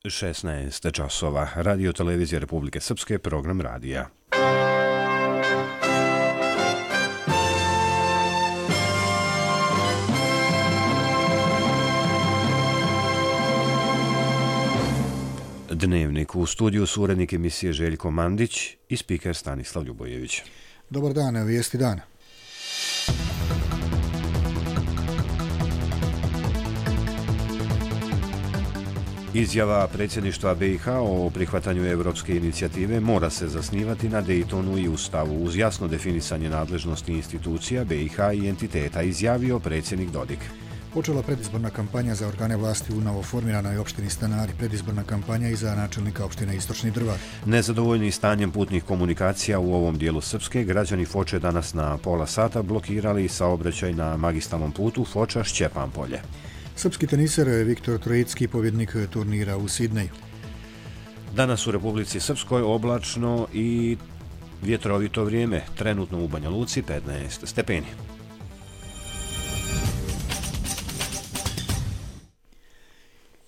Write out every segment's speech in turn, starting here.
16 časova. Radio Televizija Republike Srpske, program radija. Dnevnik. U studiju su urednik emisije Željko Mandić i spiker Stanislav Ljubojević. Dobar dan, vijesti dana. Izjava predsjedništva BiH o prihvatanju europske inicijative mora se zasnivati na Daytonu i Ustavu uz jasno definisanje nadležnosti institucija BiH i entiteta, izjavio predsjednik Dodik. Počela predizborna kampanja za organe vlasti u novoformiranoj opštini Stanari, predizborna kampanja i za načelnika opštine Istočni Drvar. Nezadovoljni stanjem putnih komunikacija u ovom dijelu Srpske, građani Foče danas na pola sata blokirali saobraćaj na magistralnom putu Foča-Šćepan-Polje. Srpski teniser Viktor Trojicki, pobjednik turnira u Sidneju. Danas u Republici Srpskoj oblačno i vjetrovito vrijeme, trenutno u Banja Luci 15 stepeni.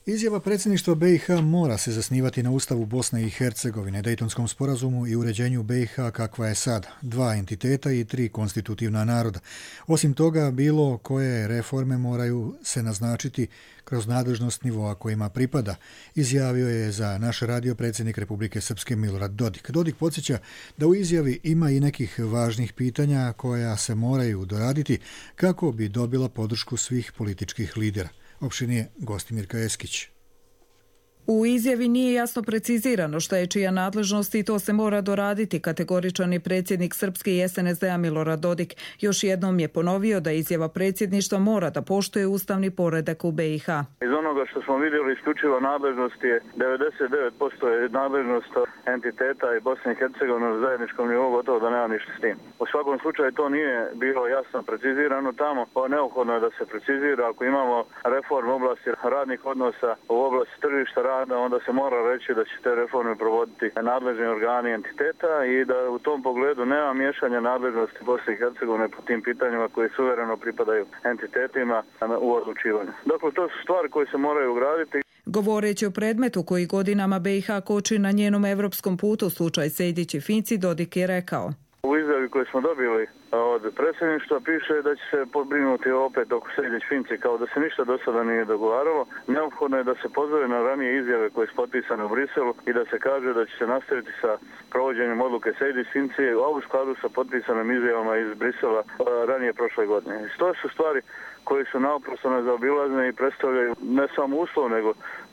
Izjava predsjedništva BiH mora se zasnivati na Ustavu Bosne i Hercegovine, Dejtonskom sporazumu i uređenju BiH kakva je sad, 2 entiteta i 3 konstitutivna naroda. Osim toga, bilo koje reforme moraju se naznačiti kroz nadležnost nivoa kojima pripada, izjavio je za naš radio predsjednik Republike Srpske Milorad Dodik. Dodik podsjeća da u izjavi ima i nekih važnih pitanja koja se moraju doraditi kako bi dobila podršku svih političkih lidera. Opštinije Gostimirka Eskić. U izjavi nije jasno precizirano šta je čija nadležnost i to se mora doraditi, kategoričan je predsjednik Srpske i SNSD-a Milorad Dodik. Još jednom je ponovio da izjava predsjedništva mora da poštuje ustavni poredak u BiH. Iz onoga što smo vidjeli, isključiva nadležnost je 99% je nadležnost entiteta i Bosne i Hercegovine na zajedničkom nivou, gotovo da nema ništa s tim. U svakom slučaju to nije bilo jasno precizirano tamo, neophodno je da se precizira. Ako imamo reformu u oblasti radnih odnosa, u oblasti tržišta rada, onda se mora reći da će te reforme provoditi nadležni organi entiteta i da u tom pogledu nema miješanja nadležnosti Bosne i Hercegovine po tim pitanjima koji suvereno pripadaju entitetima u odlučivanju. Dakle, to su stvari koje se moraju ugraditi. Govoreći o predmetu koji godinama BiH koči na njenom evropskom putu, slučaj Sejdić i Finci, Dodik je rekao: U izjavi koju smo dobili od predsjedništva piše da će se pobrinuti opet oko Sejdić-Finci, kao da se ništa do sada nije dogovaralo. Neophodno je da se pozove na ranije izjave koje su potpisane u Briselu i da se kaže da će se nastaviti sa provođenjem odluke Sejdić-Finci, a u skladu sa potpisanim izjavama iz Brisela ranije prošle godine. To su stvari koje su naoprosto nezaobilazne i predstavljaju ne samo uslov, nego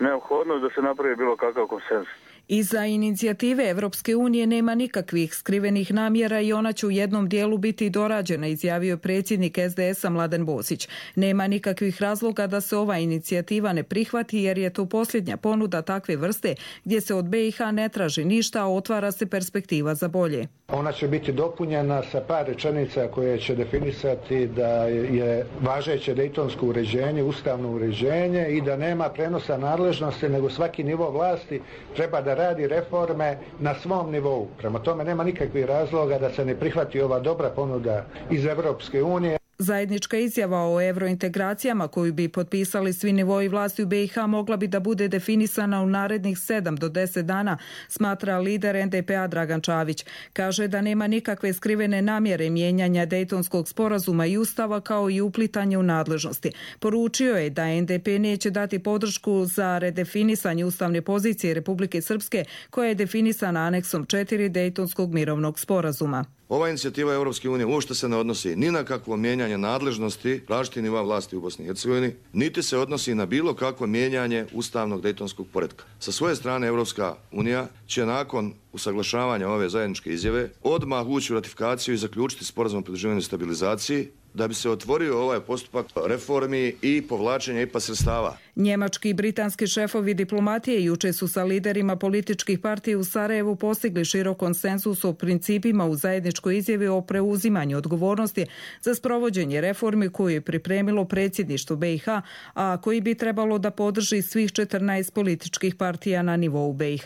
neophodnost da se napravi bilo kakav konsenzus. Iza inicijative Evropske unije nema nikakvih skrivenih namjera i ona će u jednom dijelu biti dorađena, izjavio predsjednik SDS-a Mladen Bosić. Nema nikakvih razloga da se ova inicijativa ne prihvati jer je to posljednja ponuda takve vrste gdje se od BiH ne traži ništa, a otvara se perspektiva za bolje. Ona će biti dopunjena sa par rečenica koje će definisati da je važeće dejtonsko uređenje, ustavno uređenje i da nema prenosa nadležnosti, nego svaki nivo vlasti treba da radi reforme na svom nivou. Prema tome nema nikakvih razloga da se ne prihvati ova dobra ponuda iz Evropske unije. Zajednička izjava o evrointegracijama koju bi potpisali svi nivoi vlasti u BiH mogla bi da bude definisana u narednih 7 do 10 dana, smatra lider NDP-a Dragan Čavić. Kaže da nema nikakve skrivene namjere mijenjanja Dejtonskog sporazuma i ustava kao i uplitanje u nadležnosti. Poručio je da NDP neće dati podršku za redefinisanje ustavne pozicije Republike Srpske koja je definisana aneksom 4 Dejtonskog mirovnog sporazuma. Ova inicijativa Europske unije uopšte se ne odnosi ni na kakvo mijenjanje nadležnosti različitih nivoa vlasti u Bosni i Hercegovini, niti se odnosi na bilo kakvo mijenjanje ustavnog dejtonskog poretka. Sa svoje strane Europska unija će nakon usaglašavanja ove zajedničke izjave odmah ući u ratifikaciju i zaključiti sporazum o pridruživanju i stabilizaciji da bi se otvorio ovaj postupak reformi i povlačenja IPA sredstava. Njemački i britanski šefovi diplomatije juče su sa liderima političkih partija u Sarajevu postigli širok konsenzus o principima u zajedničkoj izjavi o preuzimanju odgovornosti za sprovođenje reformi koju je pripremilo predsjedništvo BiH, a koji bi trebalo da podrži svih 14 političkih partija na nivou BiH.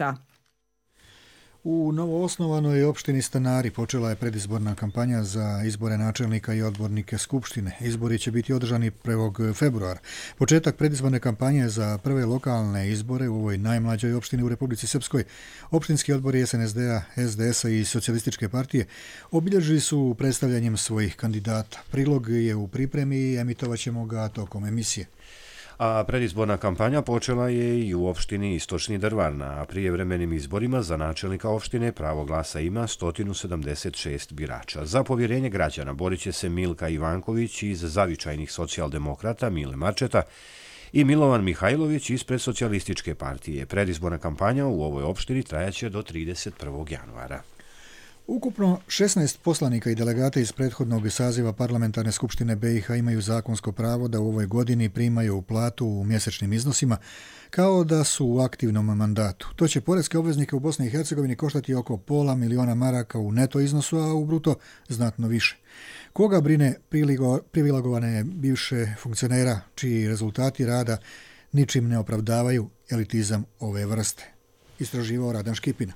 U novoosnovanoj opštini Stanari počela je predizborna kampanja za izbore načelnika i odbornike Skupštine. Izbori će biti održani 1. februara. Početak predizborne kampanje za prve lokalne izbore u ovoj najmlađoj opštini u Republici Srpskoj, opštinski odbori SNSD-a, SDS-a i Socijalističke partije obilježili su predstavljanjem svojih kandidata. Prilog je u pripremi i emitovat ćemo ga tokom emisije. A predizborna kampanja počela je i u opštini Istočni Drvarna, a prijevremenim izborima za načelnika opštine pravo glasa ima 176 birača. Za povjerenje građana borit će se Milka Ivanković iz zavičajnih socijaldemokrata Mile Marčeta i Milovan Mihajlović ispred Socijalističke partije. Predizborna kampanja u ovoj opštini trajaće do 31. januara. Ukupno 16 poslanika i delegata iz prethodnog saziva Parlamentarne skupštine BiH imaju zakonsko pravo da u ovoj godini primaju platu u mjesečnim iznosima kao da su u aktivnom mandatu. To će poreske obveznike u Bosni i Hercegovini koštati oko $500.000 maraka u neto iznosu, a u bruto znatno više. Koga brine privilegovane bivše funkcionera čiji rezultati rada ničim ne opravdavaju elitizam ove vrste? Istraživao Radan Škipina.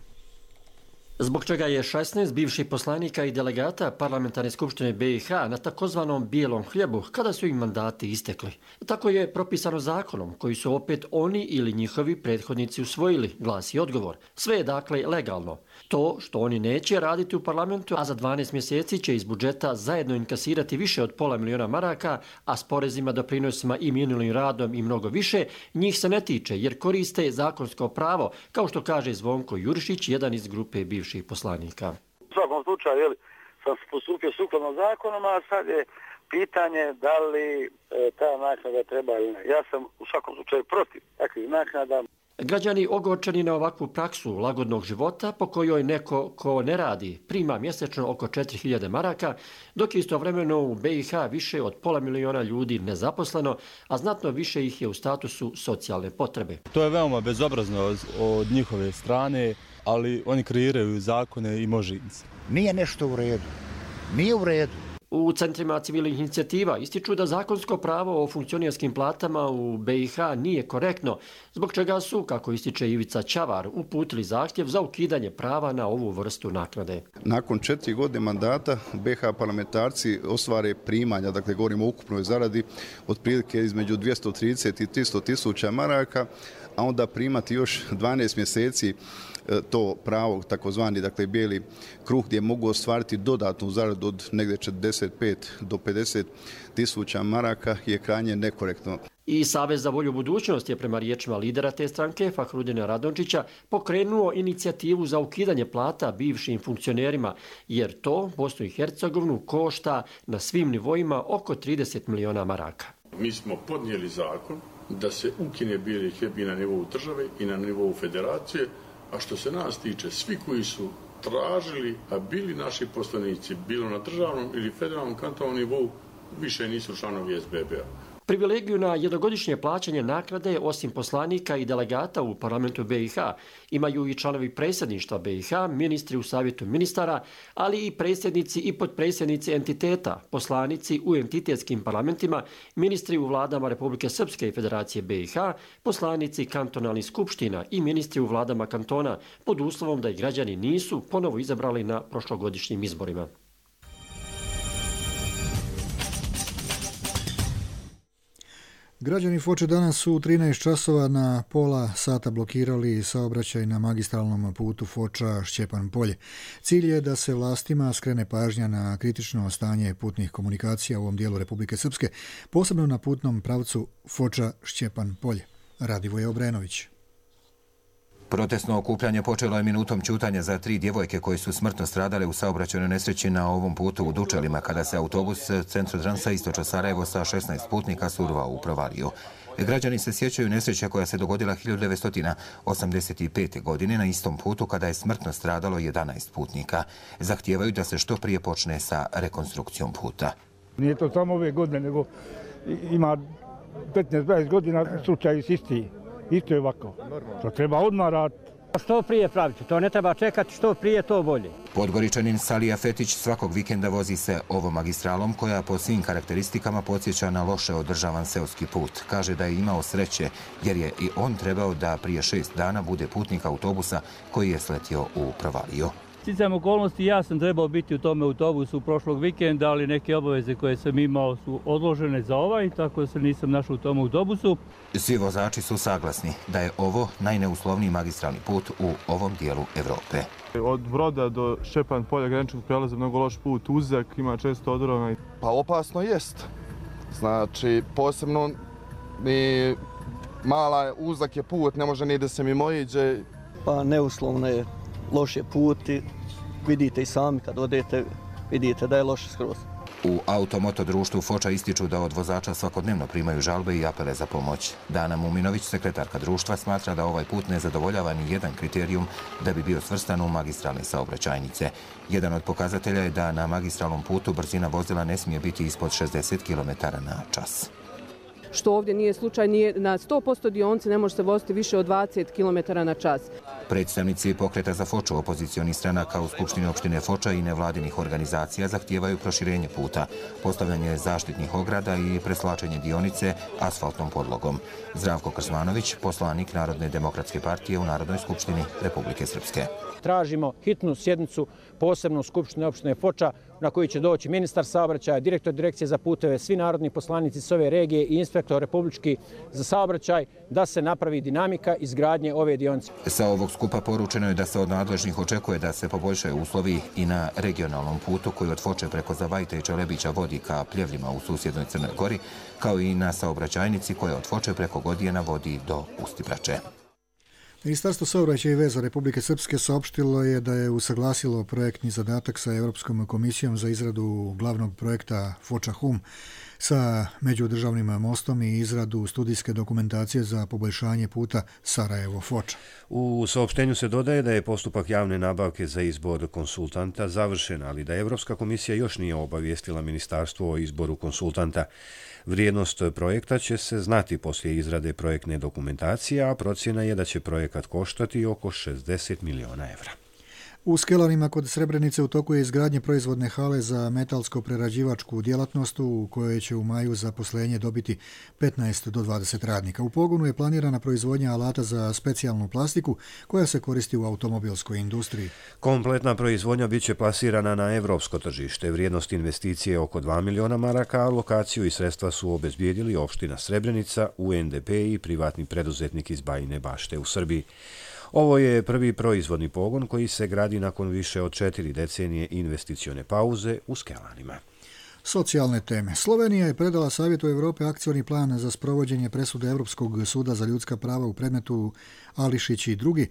Zbog čega je 16 bivših poslanika i delegata Parlamentarne skupštine BiH na takozvanom bijelom hljebu kada su im mandati istekli. Tako je propisano zakonom koji su opet oni ili njihovi prethodnici usvojili, glasi odgovor. Sve je dakle legalno. To što oni neće raditi u parlamentu, a za 12 mjeseci će iz budžeta zajedno inkasirati više od $500.000 maraka, a s porezima, doprinosima i minulim radom i mnogo više, njih se ne tiče jer koriste zakonsko pravo, kao što kaže Zvonko Jurišić, jedan iz grupe bivših poslanika. U svakom slučaju sam postupio sukladno zakonom, a sad je pitanje da li ta naknada treba ili ne. Ja sam u svakom slučaju protiv takvih naknada. Građani ogorčeni na ovakvu praksu lagodnog života po kojoj neko ko ne radi prima mjesečno oko 4.000 maraka, dok je istovremeno u BiH više od $500.000 ljudi nezaposleno, a znatno više ih je u statusu socijalne potrebe. To je veoma bezobrazno od njihove strane, ali oni kreiraju zakone i može im se. Nije nešto u redu. Nije u redu. U centrima civilnih inicijativa ističu da zakonsko pravo o funkcionerskim platama u BiH nije korektno, zbog čega su, kako ističe Ivica Čavar, uputili zahtjev za ukidanje prava na ovu vrstu naknade. Nakon 4 godine mandata BiH parlamentarci ostvare primanja, dakle govorimo o ukupnoj zaradi, otprilike između 230 i 300 tisuća maraka, a onda primati još 12 mjeseci to pravo, takozvani dakle bijeli kruh, gdje mogu ostvariti dodatnu zaradu od negdje 45 do 50 tisuća maraka je krajnje nekorektno. I Savez za volju budućnost je prema riječima lidera te stranke, Fahrudina Radončića, pokrenuo inicijativu za ukidanje plata bivšim funkcionerima, jer to Bosnu i Hercegovinu košta na svim nivoima oko 30 miliona maraka. Mi smo podnijeli zakon da se ukine bijeli hljeb i na nivou države i na nivou federacije, a što se nas tiče, svi koji su tražili, a bili naši poslanici, bilo na državnom ili federalnom kantonalnom nivou, više nisu članovi SBB-a. Privilegiju na jednogodišnje plaćanje naknade, osim poslanika i delegata u parlamentu BiH, imaju i članovi predsjedništva BiH, ministri u savjetu ministara, ali i predsjednici i potpredsjednici entiteta, poslanici u entitetskim parlamentima, ministri u vladama Republike Srpske i Federacije BiH, poslanici kantonalnih skupština i ministri u vladama kantona, pod uslovom da ih građani nisu ponovo izabrali na prošlogodišnjim izborima. Građani Foče danas su u 13 časova na pola sata blokirali saobraćaj na magistralnom putu Foča-Šćepan Polje. Cilj je da se vlastima skrene pažnja na kritično stanje putnih komunikacija u ovom dijelu Republike Srpske, posebno na putnom pravcu Foča-Šćepan Polje. Radivoje Obrenović. Protestno okupljanje počelo je minutom ćutanja za 3 djevojke koje su smrtno stradale u saobraćajnoj nesreći na ovom putu u Dučelima kada se autobus Centrodransa istočno Sarajevo sa 16 putnika survao u provaliju. Građani se sjećaju nesreće koja se dogodila 1985. godine na istom putu kada je smrtno stradalo 11 putnika. Zahtijevaju da se što prije počne sa rekonstrukcijom puta. Nije to samo ove godine, nego ima 15-20 godina slučaj isti. Isto je ovako. To treba odmah raditi. Što prije praviti, to ne treba čekati, što prije to bolje. Podgoričanin Salija Fetić svakog vikenda vozi se ovom magistralom koja po svim karakteristikama podsjeća na loše održavan seoski put. Kaže da je imao sreće jer je i on trebao da prije 6 dana bude putnik autobusa koji je sletio u provaliju. Sticajem okolnosti ja sam trebao biti u tome autobusu prošlog vikenda, ali neke obaveze koje sam imao su odložene za ovaj, tako da se nisam našao u tom autobusu. Svi vozači su saglasni da je ovo najneuslovniji magistralni put u ovom dijelu Evrope. Od Broda do Šćepan polja graničnog prelaza mnogo loš put, uzak, ima često odrona. Pa opasno jest. Znači, posebno mi mala uzak je put, ne može ni da se mimo iđe. Pa neuslovno je. Loš je put i vidite i sami kad odete, vidite da je loše skroz. U Automoto društvu Foča ističu da od vozača svakodnevno primaju žalbe i apele za pomoć. Dana Muminović, sekretarka društva, smatra da ovaj put ne zadovoljava ni jedan kriterijum da bi bio svrstan u magistralne saobraćajnice. Jedan od pokazatelja je da na magistralnom putu brzina vozila ne smije biti ispod 60 km/h. Što ovdje nije slučaj, na 100% dionice ne može se voziti više od 20 km/h. Predstavnici pokreta za Foču, opozicionih stranaka u Skupštini opštine Foča i nevladinih organizacija zahtijevaju proširenje puta, postavljanje zaštitnih ograda i preslačenje dionice asfaltnom podlogom. Zdravko Krsmanović, poslanik Narodne demokratske partije u Narodnoj skupštini Republike Srpske. Tražimo hitnu sjednicu posebno u Skupštini opštine Foča na koju će doći ministar saobraćaja, direktor direkcije za puteve, svi narodni poslanici s ove regije i inspektor republički za saobraćaj da se napravi dinamika izgradnje ove dionice. Sa ovog skupa poručeno je da se od nadležnih očekuje da se poboljšaju uslovi i na regionalnom putu koji od Foče preko Zavajta i Čelebića vodi ka Pljevljima u susjednoj Crnoj Gori, kao i na saobraćajnici koja od Foče preko Godijena vodi do Ustibrače. Ministarstvo saobraćaja i veza Republike Srpske saopštilo je da je usaglasilo projektni zadatak sa Europskom komisijom za izradu glavnog projekta Foča-Hum sa međudržavnim mostom i izradu studijske dokumentacije za poboljšanje puta Sarajevo-Foča. U saopštenju se dodaje da je postupak javne nabavke za izbor konsultanta završen, ali da Europska komisija još nije obavijestila ministarstvo o izboru konsultanta. Vrijednost projekta će se znati poslije izrade projektne dokumentacije, a procjena je da će projekat koštati oko 60 miliona evra. U Skelanima kod Srebrenice u toku je izgradnje proizvodne hale za metalsko-prerađivačku djelatnost u kojoj će u maju zaposlenje dobiti 15 do 20 radnika. U pogonu je planirana proizvodnja alata za specijalnu plastiku koja se koristi u automobilskoj industriji. Kompletna proizvodnja bit će plasirana na evropsko tržište. Vrijednost investicije je oko 2 miliona maraka, a lokaciju i sredstva su obezbijedili opština Srebrenica, UNDP i privatni preduzetnik iz Bajine Bašte u Srbiji. Ovo je prvi proizvodni pogon koji se gradi nakon više od 4 decenije investicione pauze u Skelanima. Socijalne teme. Slovenija je predala Savjetu Evrope akcioni plan za sprovođenje presude Europskog suda za ljudska prava u predmetu Ališić i drugi,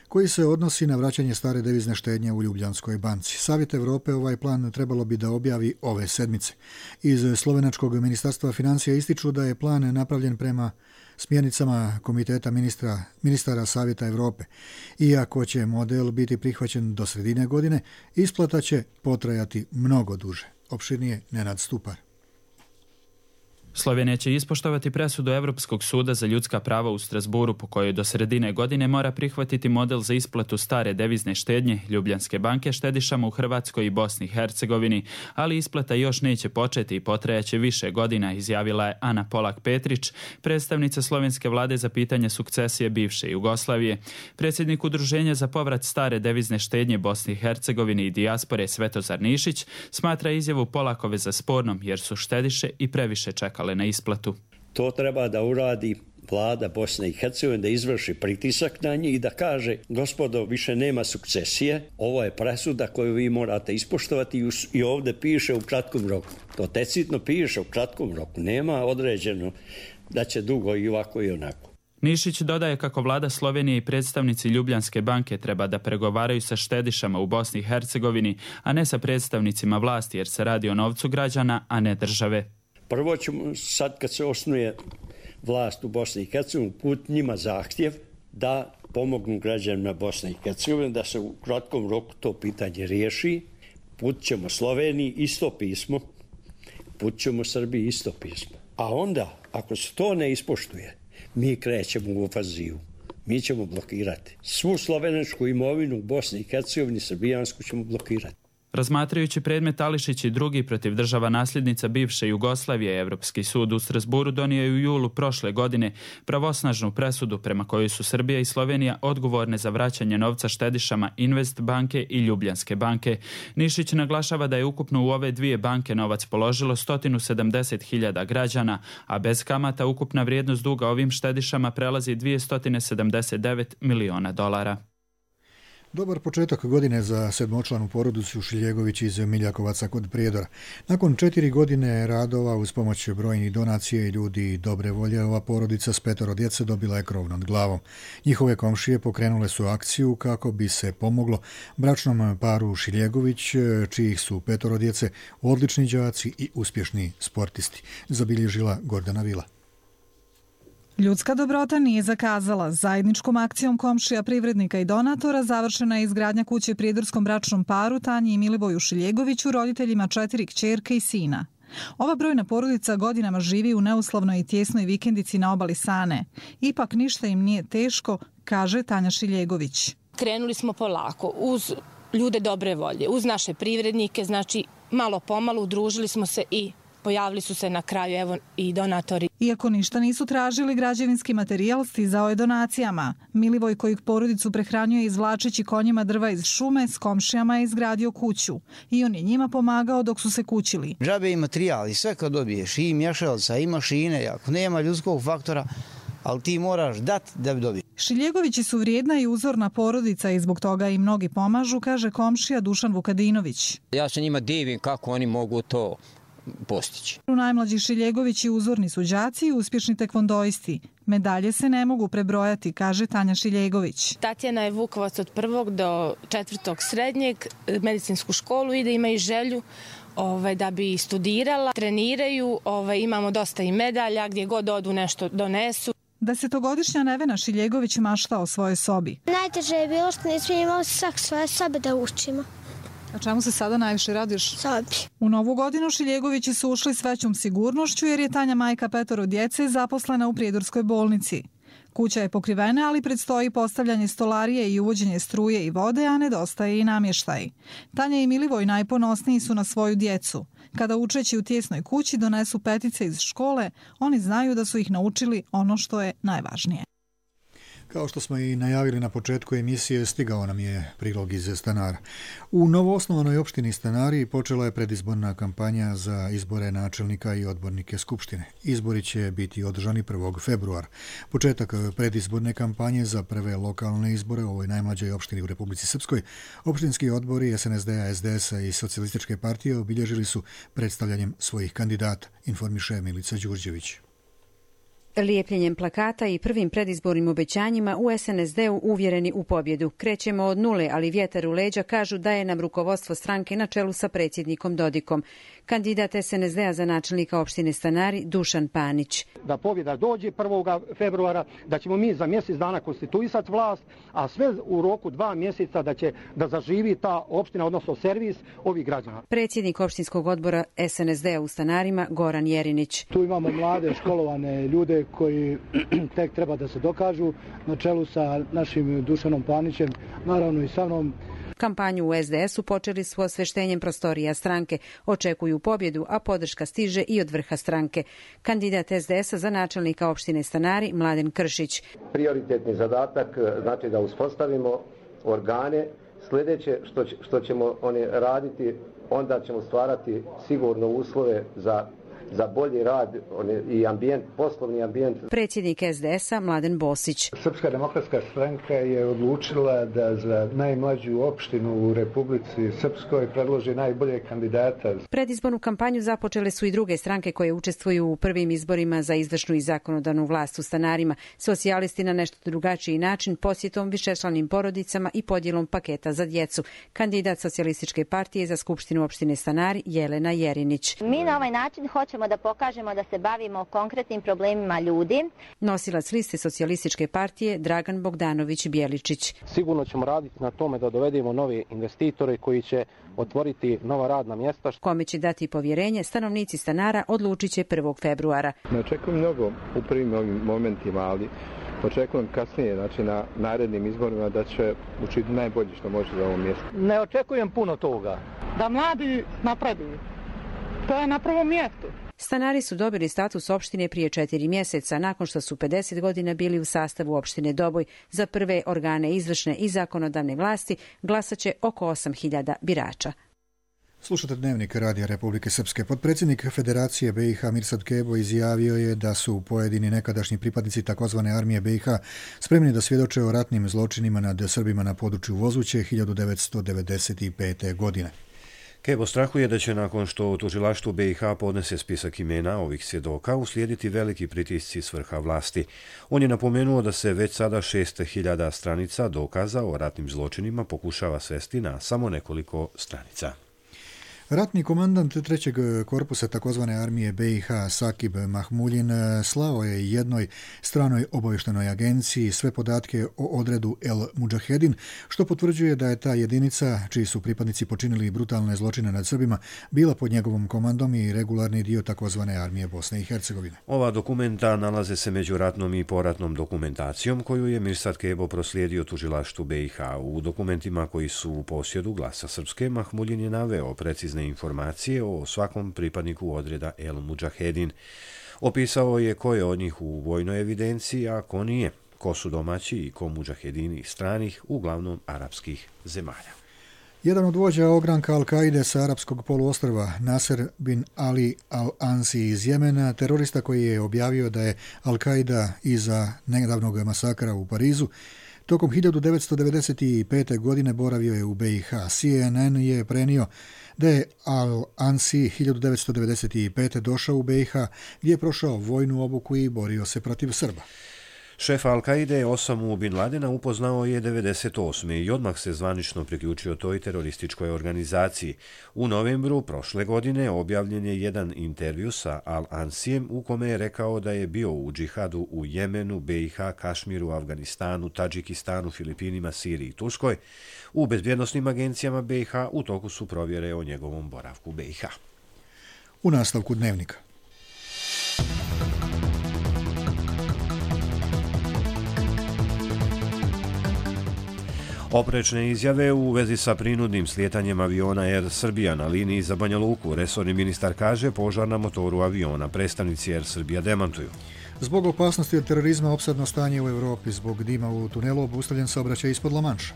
koji se odnosi na vraćanje stare devizne štednje u Ljubljanskoj banci. Savjet Evrope ovaj plan trebalo bi da objavi ove sedmice. Iz Slovenačkog ministarstva financija ističu da je plan napravljen prema smjernicama Komiteta ministara Savjeta Evrope. Iako će model biti prihvaćen do sredine godine, isplata će potrajati mnogo duže. Opširnije Nenad Stupar. Slovenija će ispoštovati presudu Evropskog suda za ljudska prava u Strasburu po kojoj do sredine godine mora prihvatiti model za isplatu stare devizne štednje Ljubljanske banke štedišama u Hrvatskoj i Bosni i Hercegovini, ali isplata još neće početi i potrajaće više godina, izjavila je Ana Polak-Petrić, predstavnica slovenske vlade za pitanje sukcesije bivše Jugoslavije. Predsjednik Udruženja za povrat stare devizne štednje Bosni i Hercegovini i dijaspore Svetozar Nišić smatra izjavu Polakove za spornom jer su štediše i previše čekali na isplatu. To treba da uradi vlada Bosne i Hercegovine, da izvrši pritisak na njih i da kaže gospodo, više nema sukcesije, ovo je presuda koju vi morate ispoštovati i ovdje piše u kratkom roku. To decidno piše u kratkom roku, nema određeno da će dugo i ovako i onako. Nišić dodaje kako vlada Slovenije i predstavnici Ljubljanske banke treba da pregovaraju sa štedišama u Bosni i Hercegovini, a ne sa predstavnicima vlasti jer se radi o novcu građana, a ne države. Prvo ćemo, sad kad se osnuje vlast u Bosni i Hercegovini, put njima zahtjev da pomognu građanima Bosne i Hercegovine, da se u kratkom roku to pitanje riješi. Put ćemo Sloveniji isto pismo, put ćemo Srbiji isto pismo. A onda, ako se to ne ispoštuje, mi krećemo u ofazivu. mi ćemo blokirati. Svu slovenačku imovinu u Bosni i Hercegovini, srbijansku ćemo blokirati. Razmatrajući predmet Ališić i drugi protiv država nasljednica bivše Jugoslavije, Evropski sud u Strasburu donio je u julu prošle godine pravosnažnu presudu prema kojoj su Srbija i Slovenija odgovorne za vraćanje novca štedišama Invest banke i Ljubljanske banke. Nišić naglašava da je ukupno u ove dvije banke novac položilo 170.000 građana, a bez kamata ukupna vrijednost duga ovim štedišama prelazi 279 miliona dolara. Dobar početak godine za sedmočlanu porodicu Šiljegović iz Miljakovaca kod Prijedora. Nakon 4 godine radova uz pomoć brojnih donacija i ljudi dobre volje, ova porodica s 5 djece dobila je krov nad glavom. Njihove komšije pokrenule su akciju kako bi se pomoglo bračnom paru Šiljegović, čijih su 5 djece odlični đaci i uspješni sportisti, zabilježila Gordana Vila. Ljudska dobrota nije zakazala. Zajedničkom akcijom komšija, privrednika i donatora završena je izgradnja kuće prijedorskom bračnom paru Tanji i Milivoju Šiljegoviću, roditeljima 4 kćerke i sina. Ova brojna porodica godinama živi u neuslovnoj i tjesnoj vikendici na obali Sane. Ipak ništa im nije teško, kaže Tanja Šiljegović. Krenuli smo polako, uz ljude dobre volje, uz naše privrednike, znači malo pomalo udružili smo se i pojavili su se na kraju evo i donatori. Iako ništa nisu tražili, građevinski materijal stizao je donacijama. Milivoj, kojeg porodicu prehranjuje izvlačeći konjima drva iz šume, s komšijama je izgradio kuću. I on je njima pomagao dok su se kućili. Džabe i materijal i sve kad dobiješ, i mješalca, i mašine, ako nema ljudskog faktora, ali ti moraš dati da bi dobio. Šiljegovići su vrijedna i uzorna porodica i zbog toga i mnogi pomažu, kaže komšija Dušan Vukadinović. Ja se njima divim kako oni mogu to postići. Najmlađi Šiljegovići uzorni su đaci i uspješni tekvondoisti. Medalje se ne mogu prebrojati, kaže Tanja Šiljegović. Tatjana je Vukovac od 1. do 4. srednjeg, medicinsku školu ide, ima i želju da bi studirala. Treniraju, imamo dosta i medalja, gdje god odu nešto donesu. 10-godišnja Nevena Šiljegović mašta o svojoj sobi. Najteže je bilo što nismo imali svak svoje sobe da učimo. A čemu se sada najviše radiš? Sobi. U novu godinu Šiljegovići su ušli s većom sigurnošću jer je Tanja, majka 5 djece, zaposlena u Prijedorskoj bolnici. Kuća je pokrivena, ali predstoji postavljanje stolarije i uvođenje struje i vode, a nedostaje i namještaj. Tanja i Milivoj najponosniji su na svoju djecu. Kada učeći u tijesnoj kući donesu petice iz škole, oni znaju da su ih naučili ono što je najvažnije. Kao što smo i najavili na početku emisije, stigao nam je prilog iz Stanara. U novoosnovanoj opštini Stanari počela je predizborna kampanja za izbore načelnika i odbornike Skupštine. Izbori će biti održani 1. februara. Početak predizborne kampanje za prve lokalne izbore u ovoj najmlađoj opštini u Republici Srpskoj, opštinski odbori SNSD-a, SDS-a i Socijalističke partije obilježili su predstavljanjem svojih kandidata, informiše Milica Đurđević. Lijepljenjem plakata i prvim predizbornim obećanjima u SNSD-u uvjereni u pobjedu. Krećemo od nule, ali vjetar u leđa, kažu, daje nam rukovodstvo stranke na čelu sa predsjednikom Dodikom. Kandidat SNSD-a za načelnika opštine Stanari Dušan Panić. Da pobjeda dođe 1. februara, da ćemo mi za mjesec dana konstituisati vlast, a sve u roku 2 mjeseca da zaživi ta opština, odnosno servis ovih građana. Predsjednik opštinskog odbora SNSD-a u Stanarima Goran Jerinić. Tu imamo mlade, školovane ljude koji tek treba da se dokažu na čelu sa našim Dušanom Panićem, naravno i sa mnom. Kampanju u SDS-u počeli su osveštenjem prostorija stranke. Očekuju pobjedu, a podrška stiže i od vrha stranke. Kandidat SDS-a za načelnika opštine Stanari Mladen Kršić. Prioritetni zadatak znači da uspostavimo organe. Sljedeće što ćemo oni raditi, onda ćemo stvarati sigurno uslove za bolji rad i ambijent, poslovni ambijent. Predsjednik SDS-a Mladen Bosić. Srpska demokratska stranka je odlučila da za najmlađu opštinu u Republici Srpskoj predloži najbolje kandidata. Predizbornu kampanju započele su i druge stranke koje učestvuju u prvim izborima za izvršnu i zakonodavnu vlast u Stanarima. Socijalisti na nešto drugačiji način, posjetom višečlanim porodicama i podjelom paketa za djecu. Kandidat Socijalističke partije za Skupštinu opštine Stanari Jelena Jerinić. Mi na ovaj način hoćemo da pokažemo da se bavimo konkretnim problemima ljudi. Nosilac liste Socijalističke partije Dragan Bogdanović Bjeličić. Sigurno ćemo raditi na tome da dovedemo nove investitore koji će otvoriti nova radna mjesta. Kome će dati povjerenje, stanovnici Stanara odlučit će 1. februara. Ne očekujem mnogo u prvim ovim momentima, ali Očekujem kasnije, znači na narednim izborima, da će učiniti najbolje što može za ovo mjesto. Ne očekujem puno toga. Da mladi napreduju. To je na prvom mjestu. Stanari su dobili status opštine prije 4 mjeseca, nakon što su 50 godina bili u sastavu opštine Doboj. Za prve organe izvršne i zakonodavne vlasti glasaće oko 8.000 birača. Slušate Dnevnik Radija Republike Srpske. Potpredsjednik Federacije BiH Mirsad Kebo izjavio je da su pojedini nekadašnji pripadnici takozvane armije BiH spremni da svjedoče o ratnim zločinima nad Srbima na području Vozuće 1995. godine. Kebo strahuje da će nakon što tužilaštvo BiH podnese spisak imena ovih svjedoka uslijediti veliki pritisci s vrha vlasti. On je napomenuo da se već sada 6.000 stranica dokaza o ratnim zločinima pokušava svesti na samo nekoliko stranica. Ratni komandant 3. korpusa takozvane armije BiH Sakib Mahmuljin slao je jednoj stranoj obavještajnoj agenciji sve podatke o odredu El Mudžahedin, što potvrđuje da je ta jedinica, čiji su pripadnici počinili brutalne zločine nad Srbima, bila pod njegovom komandom i regularni dio takozvane armije Bosne i Hercegovine. Ova dokumenta nalaze se među ratnom i poratnom dokumentacijom koju je Mirsad Kebo proslijedio tužilaštvu BiH. U dokumentima koji su u posjedu Glasa Srpske, Mahmuljin je naveo precizne informacije o svakom pripadniku odreda El Mudžahedin. Opisao je ko je od njih u vojnoj evidenciji, a ko nije, ko su domaći i ko mudžahedini stranih, uglavnom arapskih zemalja. Jedan od vođa ogranka Al-Kaide sa arapskog poluostrva, Nasser bin Ali Al-Ansi iz Jemena, terorista koji je objavio da je Al-Kaida iza nedavnog masakra u Parizu, tokom 1995. godine boravio je u BiH. CNN je prenio da je Al-Ansi 1995. došao u BiH, gdje je prošao vojnu obuku i borio se protiv Srba. Šef Al-Kaide Osamu bin Ladena upoznao je 1998. i odmah se zvanično priključio toj terorističkoj organizaciji. U novembru prošle godine objavljen je jedan intervju sa Al-Ansijem u kome je rekao da je bio u džihadu u Jemenu, BiH, Kašmiru, Afganistanu, Tadžikistanu, Filipinima, Siriji i Turskoj. U bezbjednosnim agencijama BiH u toku su provjere o njegovom boravku BiH. U nastavku Dnevnika. Oprečne izjave u vezi sa prinudnim slijetanjem aviona Air Srbija na liniji za Banja Luku. Resorni ministar kaže požar na motoru aviona. Predstavnici Air Srbija demantuju. Zbog opasnosti od terorizma opsadno stanje u Evropi. Zbog dima u tunelu obustavljen saobraćaj ispod La Manša.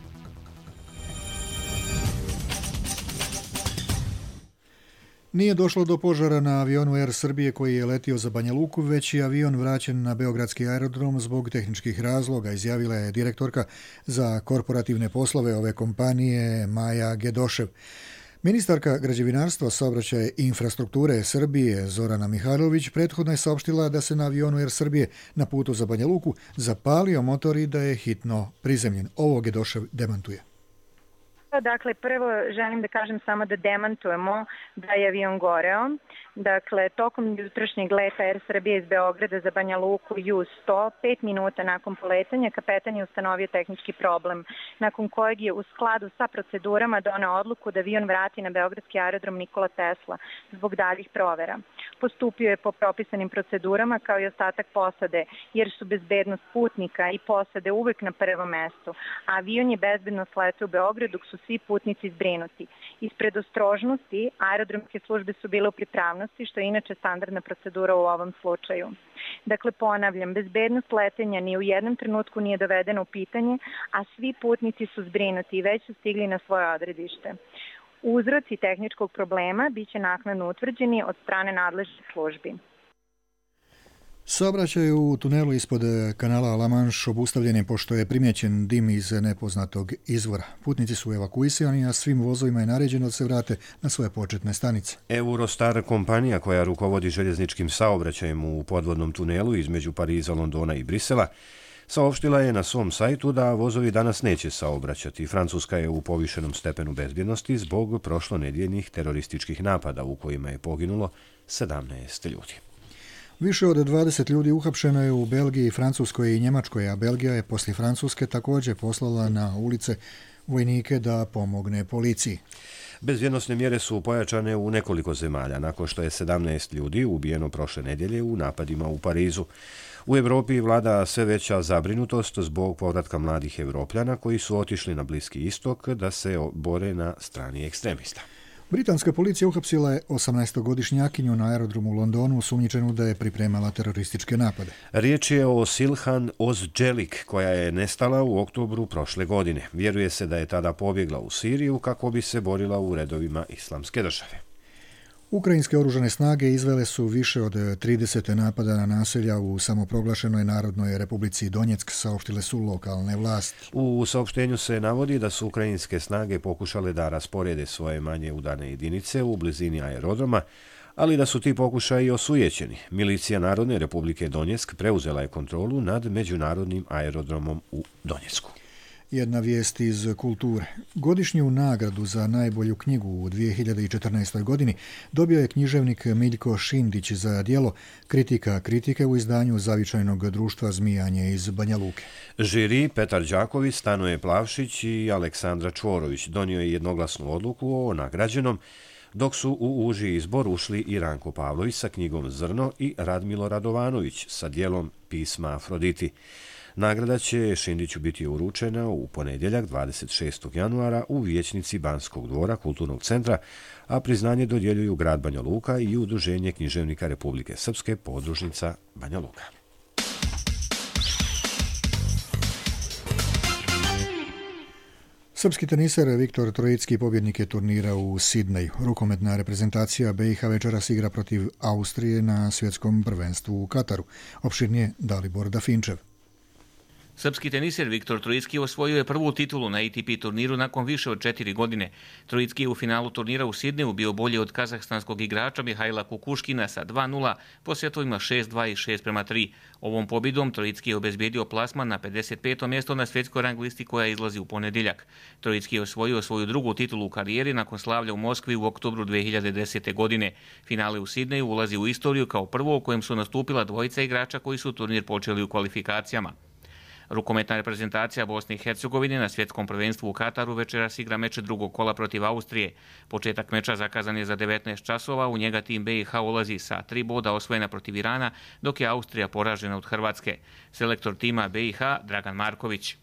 Nije došlo do požara na avionu Air Srbije koji je letio za Banja Luku, već je avion vraćen na beogradski aerodrom zbog tehničkih razloga, izjavila je direktorka za korporativne poslove ove kompanije Maja Gedošev. Ministarka građevinarstva, saobraćaja i infrastrukture Srbije Zorana Mihajlović prethodno je saopštila da se na avionu Air Srbije na putu za Banja Luku zapalio motor i da je hitno prizemljen. Ovo Gedošev demantuje. Dakle, prvo želim da kažem samo da demantujemo da je avion goreo. Dakle, tokom jutrošnjeg leta Air Srbije iz Beograda za Banja Luku U-100, 5 minuta nakon poletanja, kapetan je ustanovio tehnički problem, nakon kojeg je u skladu sa procedurama doneo odluku da avion vrati na beogradski aerodrom Nikola Tesla zbog daljih provera. Postupio je po propisanim procedurama kao i ostatak posade, jer su bezbednost putnika i posade uvek na prvom mestu. Avion je bezbedno sletio u Beograd dok su svi putnici zbrinuti. Iz predostrožnosti aerodromske službe su bile u pripravnosti, što je inače standardna procedura u ovom slučaju. Dakle, ponavljam, bezbednost letenja ni u jednom trenutku nije dovedena u pitanje, a svi putnici su zbrinuti i već su stigli na svoje odredište. Uzroci tehničkog problema biće naknadno utvrđeni od strane nadležnih službi. Saobraćaj u tunelu ispod kanala La Manche obustavljen je pošto je primjećen dim iz nepoznatog izvora. Putnici su evakuisani, a svim vozovima je naređeno da se vrate na svoje početne stanice. Eurostar, kompanija koja rukovodi željezničkim saobraćajem u podvodnom tunelu između Pariza, Londona i Brisela, saopštila je na svom sajtu da vozovi danas neće saobraćati. Francuska je u povišenom stepenu bezbjednosti zbog prošlonedjeljnih terorističkih napada u kojima je poginulo 17 ljudi. Više od 20 ljudi uhapšeno je u Belgiji, Francuskoj i Njemačkoj, a Belgija je poslije Francuske također poslala na ulice vojnike da pomogne policiji. Bezbjednosne mjere su pojačane u nekoliko zemalja, nakon što je 17 ljudi ubijeno prošle nedjelje u napadima u Parizu. U Europi vlada sve veća zabrinutost zbog povratka mladih Evropljana koji su otišli na Bliski istok da se bore na strani ekstremista. Britanska policija uhapsila je 18-godišnjakinju na aerodromu u Londonu osumnjičenu da je pripremala terorističke napade. Riječ je o Silhan Ozđelik koja je nestala u oktobru prošle godine. Vjeruje se da je tada pobjegla u Siriju kako bi se borila u redovima Islamske države. Ukrajinske oružane snage izvele su više od 30 napada na naselja u samoproglašenoj Narodnoj Republici Donjeck, saopštile su lokalne vlasti. U saopštenju se navodi da su ukrajinske snage pokušale da rasporede svoje manje udane jedinice u blizini aerodroma, ali da su ti pokušaji osujećeni. Milicija Narodne Republike Donjeck preuzela je kontrolu nad međunarodnim aerodromom u Donjecku. Jedna vijest iz kulture. Godišnju nagradu za najbolju knjigu u 2014. godini dobio je književnik Miljko Šindić za djelo Kritika kritike u izdanju Zavičajnog društva Zmijanje iz Banja Luke. Žiri Petar Đaković, Stanoje Plavšić i Aleksandra Čvorović donio je jednoglasnu odluku o nagrađenom, dok su u uži izbor ušli i Ranko Pavlović sa knjigom Zrno i Radmilo Radovanović sa djelom Pisma Afroditi. Nagrada će Šindiću biti uručena u ponedjeljak 26. januara u vijećnici Banskog dvora kulturnog centra, a priznanje dodjeljuju grad Banja Luka i Udruženje književnika Republike Srpske podružnica Banja Luka. Srpski teniser Viktor Trojicki pobjednik je turnira u Sidneju. Rukometna reprezentacija BiH večeras igra protiv Austrije na svjetskom prvenstvu u Kataru. Opširnije Dalibor Dafinčev. Srpski teniser Viktor Trojicki osvojio je prvu titulu na ATP turniru nakon više od 4 godine. Trojicki je u finalu turnira u Sidneju bio bolji od kazahstanskog igrača Mihajla Kukuškina sa 2:0 po setovima 6:2 i 6:3. Ovom pobjedom Trojicki je obezbijedio plasman na 55. mjesto na svjetskoj rang listi koja izlazi u ponedjeljak. Trojicki je osvojio svoju drugu titulu u karijeri nakon slavlja u Moskvi u oktobru 2010. godine. Finale u Sidneju ulazi u istoriju kao prvo u kojem su nastupila dvojica igrača koji su turnir počeli u kvalifikacijama. Rukometna reprezentacija Bosne i Hercegovine na svjetskom prvenstvu u Kataru večeras igra meč drugog kola protiv Austrije. Početak meča zakazan je za 19 časova, u njega tim BiH ulazi sa 3 boda osvojena protiv Irana, dok je Austrija poražena od Hrvatske. Selektor tima BiH Dragan Marković.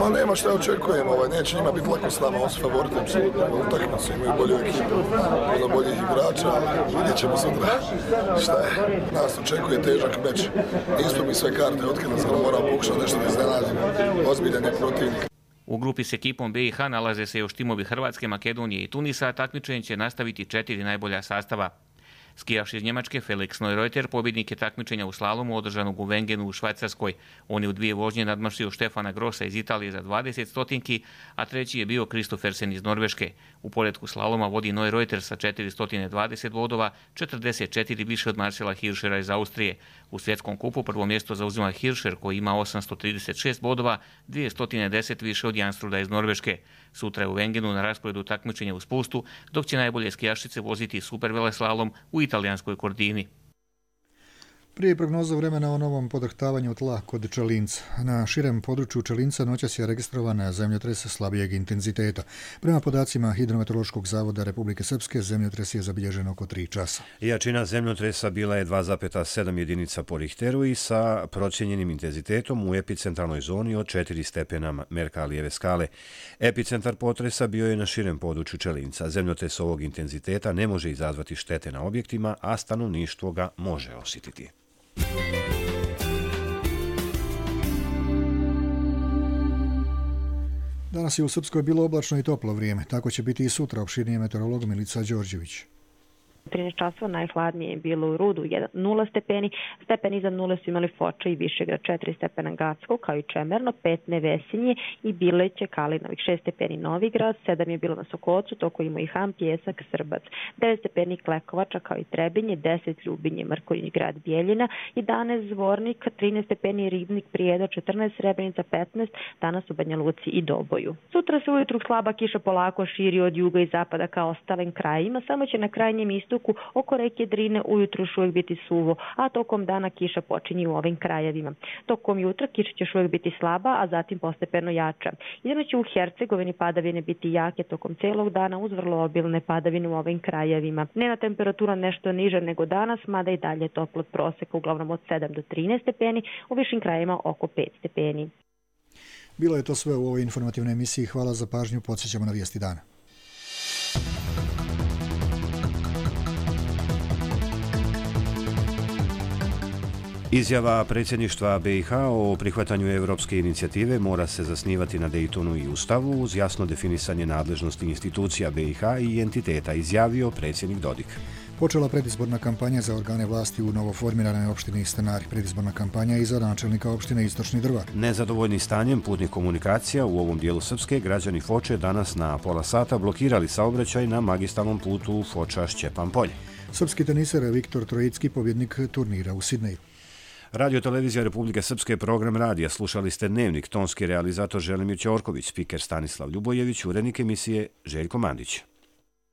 Ma nema šta očekujem, neće njima biti lako s nama, on su favoriti, apsolutno, utakmicu, imaju bolju ekipu, puno boljih igrača, vidjet ćemo sutra šta je. Nas očekuje težak meč, nismo mi sve karte otkida, samo moramo pokušati nešto da iznenadimo, ozbiljan je protivnik. U grupi s ekipom BiH nalaze se još timovi Hrvatske, Makedonije i Tunisa, a takmičenje će nastaviti 4 najbolja sastava. Skijaš iz Njemačke Felix Neureuter pobjednik je takmičenja u slalomu održanog u Wengenu u Švajcarskoj. On je u 2 vožnje nadmašio Štefana Grossa iz Italije za 20 stotinki, a treći je bio Kristoffersen iz Norveške. U poretku slaloma vodi Neureuter sa 420 bodova, 44 više od Marcela Hirschera iz Austrije. U svjetskom kupu prvo mjesto zauzima Hirscher koji ima 836 bodova, 210 više od Janstruda iz Norveške. Sutra je u Wengenu na rasporedu takmičenja u spustu, dok će najbolje skijašice voziti superveleslalom u italijanskoj Kordini. Prije prognoza vremena o novom podrhtavanju tla kod Čelinca. Na širem području Čelinca noćas je registrovan zemljotres slabijeg intenziteta. Prema podacima Hidrometeorološkog zavoda Republike Srpske, zemljotres je zabilježen oko 3 časa. Jačina zemljotresa bila je 2,7 jedinica po Richteru i sa procijenjenim intenzitetom u epicentralnoj zoni od 4 stepena Merkalijeve skale. Epicentar potresa bio je na širem području Čelinca. Zemljotres ovog intenziteta ne može izazvati štete na objektima, a stanovništvo ga može osjetiti. Danas je u Srpskoj bilo oblačno i toplo vrijeme. Tako će biti i sutra, opširnije meteorolog Milica Đorđević. 13 časova najhladnije je bilo u Rudu 0 stepeni, stepen iznad nule su imali Foča i Višegrad, 4 stepena Gacko kao i Čemerno, 5 Nevesinje i Bileće, Kalinovih, 6 stepeni Novigrad, 7 je bilo na Sokocu, toko ima i Ham, Pjesak, Srbac, 9 stepeni Klekovača kao i Trebinje, 10 Ljubinje, Mrkonjić grad Bijeljina, 11 Zvornik, 13 stepeni Ribnik, Prijedo, 14 Srebrenica, 15, danas u Banja Luci i Doboju. Sutra se ujutru slaba kiša polako širi od juga i zapada kao ostalim krajima, samo će na krajnjem istoku istoku oko reke Drine ujutru još uvijek biti suvo, a tokom dana kiša počinje u ovim krajevima. Tokom jutra kiša će još uvijek biti slaba, a zatim postepeno jača. Jedino će u Hercegovini padavine biti jake tokom celog dana uz vrlo obilne padavine u ovim krajevima. Dnevna temperatura nešto niža nego danas, mada i dalje toplo od proseka, uglavnom od 7 do 13 stepeni, u višim krajevima oko 5 stepeni. Bilo je to sve u ovoj informativnoj emisiji. Hvala za pažnju. Podsjećamo na vijesti dana. Izjava predsjedništva BiH o prihvatanju europske inicijative mora se zasnivati na Daytonu i Ustavu uz jasno definisanje nadležnosti institucija BiH i entiteta, izjavio predsjednik Dodik. Počela predizborna kampanja za organe vlasti u novoformiranoj opštini Stanari. Predizborna kampanja i za načelnika opštine Istočni Drvar. Nezadovoljni stanjem putnih komunikacija u ovom dijelu Srpske, građani Foče danas na pola sata blokirali saobraćaj na magistralnom putu Foča-Šćepan polje. Srpski teniser Viktor Trojicki, pobjednik turnira u Sidneju. Radio televizija Republike Srpske, program radija. Slušali ste Dnevnik, tonski realizator Želimir Ćorković, spiker Stanislav Ljubojević, urednik emisije Željko Mandić.